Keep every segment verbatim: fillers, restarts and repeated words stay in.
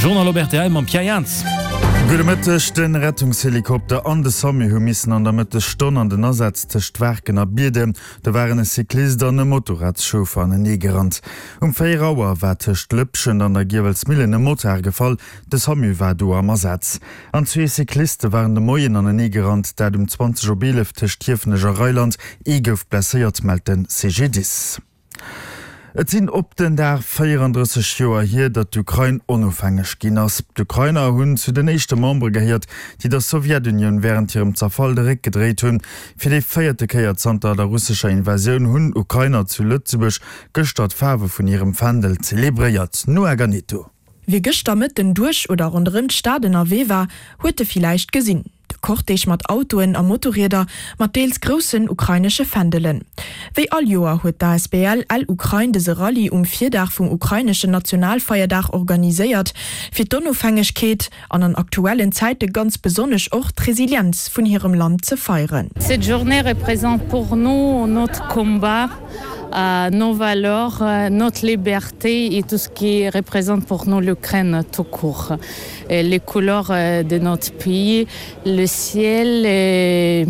Journal op rtl mam Pierre Jans. Gudde Mëtteg, De Rettungshelikopter an de SAMU hu missen an der Mëttesstonn an den Asaz tëscht Waarken a Bierden. Do waren e Cyclist an e Motorradschauffer anenee gerannt. Um véier Auer war tëscht Lëpschent an der Giewelsmillen e Motard gefall. De SAMU war do am Asaz. An zwee Cycliste waren de Moien anenee gerannt, dat um zwanzeg op eelef tëscht Hiefenech a Reiland. Ee gouf blesséiert, mellt de C G D I S. Et sinn op den Dag véierandrësseg Joer hier, datt d'Ukrain onofhängeg ginn ass. D'Ukrainer hunn zu den éischte Membere gehéiert, déi der Sowjetunioun wärend hirem Zerfall de Réck gedréit hunn. Fir déi véierte Kéier zanter der russescher Invasioun hunn Ukrainer zu Lëtzebuerg gëschter d'Faarwe vun hirem Fändel zelebréiert. Noa Ganetto. Wie gëschter Mëtten duerch oder ronderëm d'Stad ënnerwee war, huet e villäicht gesinn, de Cortège mat Autoen a Motorrieder mat deels groussen ukrainesche Fändelen. Wéi all Joer huet d'A S B L L-Ukraine dëse Rallye um Virdag vum ukraineschen Nationalfeierdag organiséiert, fir d'Onofhängegkeet an an aktuellen Zäite ganz besonnesch och d'Resilienz vun hirem Land ze feieren. Cette journée représente pour nous notre combat, euh, nos valeurs, euh, notre liberté et tout ce qui représente pour nous l'Ukraine tout court. Et les couleurs euh, de notre pays, le ciel et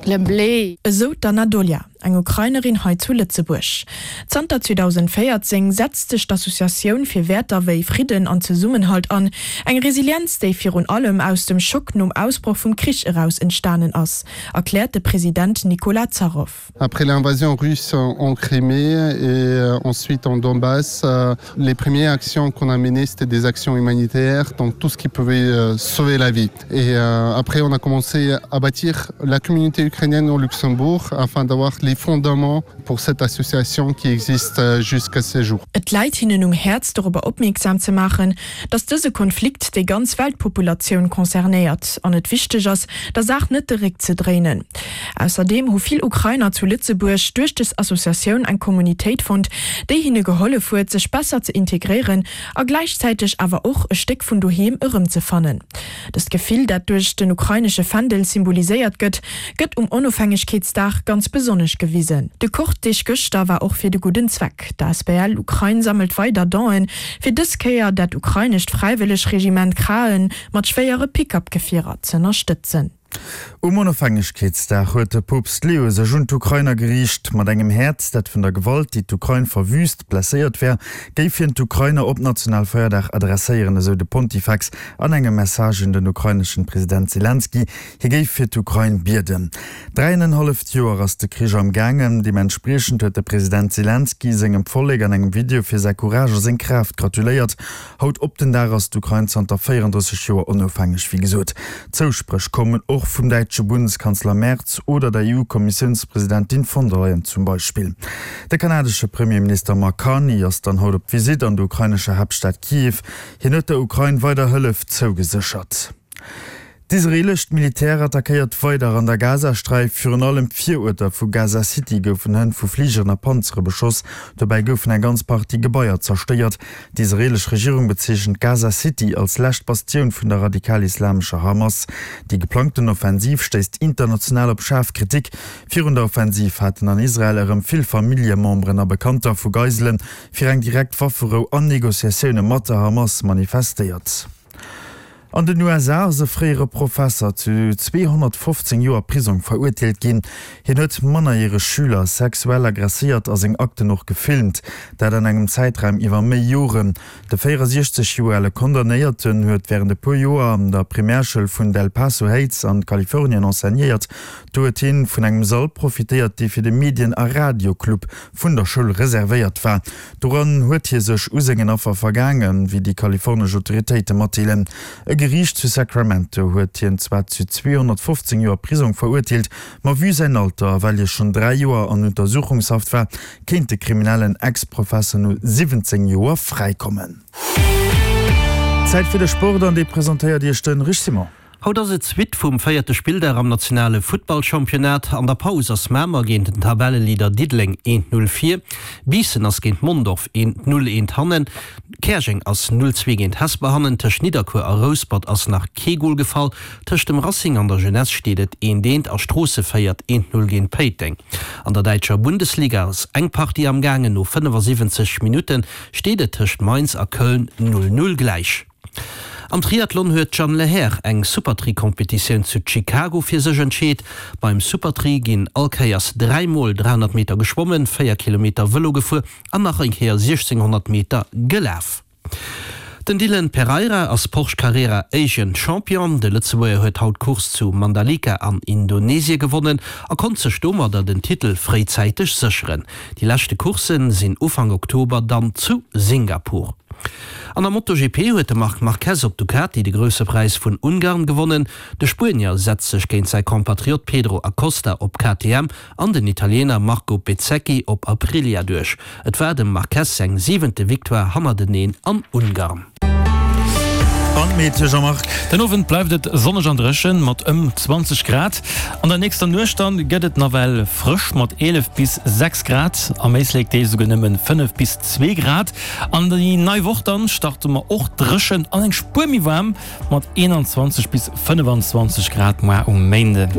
le blé. Esou d'Anna Dolia, eng Ukrainerin hei zu Lëtzebuerg. Zanter zweedausendvéierzéng setzt sech d'Associatioun fir Wäerter wéi Fridden an Zesummenhalt an, eng Resilienz, déi virun allem aus dem Schock nom Ausbroch vum Krich eraus entstanen ass, erkläert de President Nicolas Zaroff. Après l'invasion russe en Crimée et euh, ensuite en Donbass, euh, les premières actions qu'on a menées, c'était des actions humanitaires, donc tout ce qui pouvait euh, sauver la vie. Et après, on a commencé à bâtir la communauté ukrainienne au Luxembourg afin d'avoir les fondements pour cette association qui existe jusqu'à ces jours. Et läit hinnen um Häerz dorobber opmierksam ze maachen, datt dëse Konflikt déi ganz Weltpopulatioun concernéiert an et wichteg ass, der Saach net de Réck ze dréinen. Ausserdeem hu vill Ukrainer zu Lëtzebuerg duerch dës Associatioun eng Communautéit fonnt, déi hinne gehollef huet, sech besser ze integréieren a gläichzäiteg awer och e Stéck vun doheem erëmzefannen. Dëst Gefill, dat duerch den ukrainesche Fändel symboliséiert gëtt, gëtt um Onofhängegkeetsdag ganz besonnesch gewisen. De Cortège gëschter war och fir de gudden Zweck. D'A S B L Ukraine sammelt weider Donen fir dës Kéier dat ukrainescht Fräiwëllegregiment Kraen mat schwéiere Pick-up-Gefierer ze ënnerstëtzen. Um Onofhängegkeetsdag huet de Poopst Leo sech un d'Ukrainer geriicht. Mat engem Häerz, dat vun der Gewalt, déi d'Ukrain verwüüst, blesséiert wär, géif hien d'Ukrainer op Nationalfeierdag adresséieren, esou de Pontifex an engem Message un den ukraineschen President Selenskyj. Hie géif fir d'Ukrain bieden. Dräienenhalleft Joer ass de Krich am gaangen. Deementspriechend huet de President Selenskyj sengem Vollek an engem Video fir säi Courage a seng Kraaft gratuléiert. Haut op den Dag ass d'Ukrain zanter véierandrësseg Joer onofhängeg, wéi gesot. Zousprech kommen och vum däitsche Bundeskanzler Merz oder der E U-Kommissiounspresidentin von der Leyen zum Beispill. De kanadesche Premierminister Mark Carney ass dann haut op Visitt an der ukrainescher Haaptstad Kiew. Hien huet der Ukrain weider Hëllef zougeséchert. D'israeelescht Militär attackéiert weider an der Gazasträif. Virun allem d'Viruerter vu Gaza City goufen hënt vu Fligeren a Panzere beschoss. Dobäi goufen eng ganz Partie Gebaier zerstéiert. D'israeelesch Regierung bezeechent Gaza City als lescht Bastioun vun der radikal-islamescher Hamas. Déi geplangten Offensiv stéisst international op schaarf Kritik. Virun der Offensiv haten an Israel erëm vill Familljememberen a Bekannter vu Geiselen fir eng direkt Wafferou an Negociatioune mat der Hamas manifestéiert. An den U S A ass e fréiere Professer zu zweehonnertfofzéng Joer Prisong verurteelt ginn. Hien huet mannerjäreg Schüler sexuell agresséiert a seng Akten och gefilmt, dat an engem Zäitraum iwwer méi Joren. De véierasiechzeg Joer ale Condamnéierten huet wärend e puer Joer an der Primärschoul vun Del Paso Heights an Kalifornien enseignéiert. Do huet hien vun engem Sall profitéiert, dee fir de Medien a Radioclub vun der Schoul reservéiert war. Doran huet hie sech u sengen Affer vergaangen, wéi déi kalifornesch Autoritéite matdeelen. E Geriicht zu Sacramento huet hien zwar zu zweehonnertfofzéng Joer Prisong verurteelt, ma vue säin Alter a well hie schonn dräi Joer an Untersuchungshaft war, kéint de kriminellen Ex-Professer no siwwenzéng Joer fräikommen. Zäit fir de Sport an dee presentéiert Iech de Rich Simon. Haut ass et d'Suite vum véierte Spilldag am nationale Futtballchampionnat. An der Paus ass Mamer géint den Tabelleleader Diddeleng eent Null vir. Biissen ass géint Mondorf eent Null eent hannen. Käerjeng ass null zwee géint Hesper hannen. Tëscht Nidderkuer a Rouspert ass nach kee Gol gefall. Tëscht dem Racing an der Jeunesse steet et eent eent a Stroosse féiert eent Null géint Péiteng. An der däitscher Bundesliga ass eng Partie am gaangen. No fënnefasiwwenzeg Minutte steet et tëscht Mainz a Köln null Null gläich. Am Triathlon huet d'Jeanne Lehair eng Supertri-Competitioun zu Chicago fir sech entscheet. Beim Supertri ginn all Kéiers dräi mol dräihonnert Meter geschwommen, véier Kilometer Vëlo gefuer an nach eng Kéier siechzénghonnert Meter gelaf. Den Dylan Pereira ass Porsche Carrera Asian Champion. De Lëtzebuerger huet haut d'Course zu Mandalika an Indonesie gewonnen a konnt sech domadder den Titel fréizäiteg sécheren. Déi leschte Coursse sinn Ufank Oktober dann zu Singapur. An der MotoGP huet de Marc Marquez op Ducati de Grousse Präis vun Ungarn gewonnen. De Spuenier setzt sech géint säi Kompatriot Pedro Acosta op K T M an den Italiener Marco Bezzecchi op Aprilia duerch. Et war dem Marquez seng siwente Victoire hannerteneen an Ungarn. An d'Meteo, Jean-Marc. Den Owend bleift et sonneg an dréchen mat ëm zwanzeg Grad. An der nächster Nuecht dann gëtt et nawell frësch mat eelef bis sechs Grad, am Éislek deels esouguer nëmmen fënnef bis zwee Grad. An déi nei Woch dann starte mer och dréchen an eng Spuer méi waarm mat eenanzwanzeg bis fënnefanzwanzeg Grad moar um Méinden.